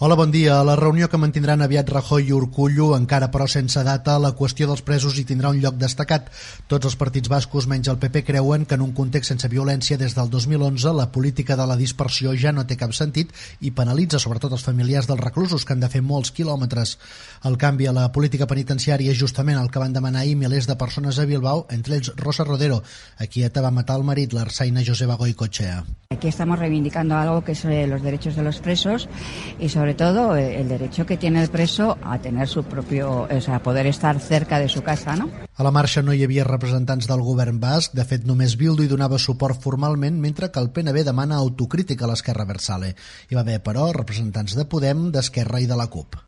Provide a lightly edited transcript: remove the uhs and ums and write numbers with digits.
Hola, bon dia. A la reunió que mantindran aviat Rajoy i Urkullu, encara però sense data, la qüestió dels presos hi tindrà un lloc destacat. Tots els partits bascos, menys el PP, creuen que en un context sense violència des del 2011 la política de la dispersió ja no té cap sentit i penalitza sobretot els familiars dels reclusos, que han de fer molts quilòmetres. El canvi a la política penitenciària és justament el que van demanar ahir milers de persones a Bilbao, entre ells Rosa Rodero, a qui ETA va matar el marit, l'Arsaina Joseba Goicoechea. Aquí estamos reivindicando algo que es los derechos de los presos y sobre todo el derecho que tiene el preso a tener su propio, a poder estar cerca de su casa, ¿no? A la marxa no hi havia representants del govern basc, de fet només Bildu hi donava suport formalment, mentre que el PNB demana autocrítica a l'Esquerra Abertzale. Hi va haver, però, representants de Podem, d'Esquerra i de la CUP.